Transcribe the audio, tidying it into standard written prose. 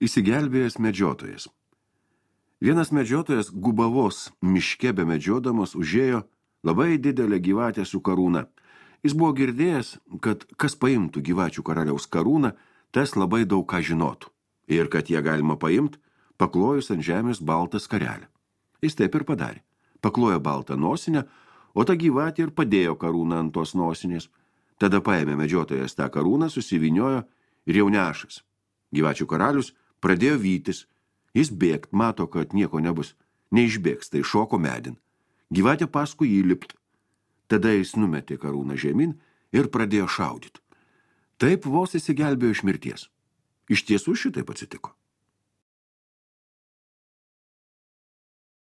Įsigelbėjęs medžiotojas. Vienas medžiotojas Gubavos miške bemedžiodamas užėjo labai didelę gyvatę su karūna. Jis buvo girdėjęs, kad kas paimtų gyvačių karaliaus karūną, tas labai daug ką žinotų. Ir kad ją galima paimti, paklojus ant žemės baltą skarelę. Jis taip ir padarė. Paklojo baltą nosinę, o ta gyvatė ir padėjo karūną ant tos nosinės. Tada paėmė medžiotojas tą karūną, susivyniojo ir jau nešas. Gyvačių karalius pradėjo vytis. Jis bėgt, mato, kad nieko nebus. Neišbėgs, tai šoko medin. Gyvatė paskui jį lipt. Tada jis numetė karūną žemyn ir pradėjo šaudyti. Taip vos įsigelbėjo iš mirties. Iš tiesų šitaip atsitiko.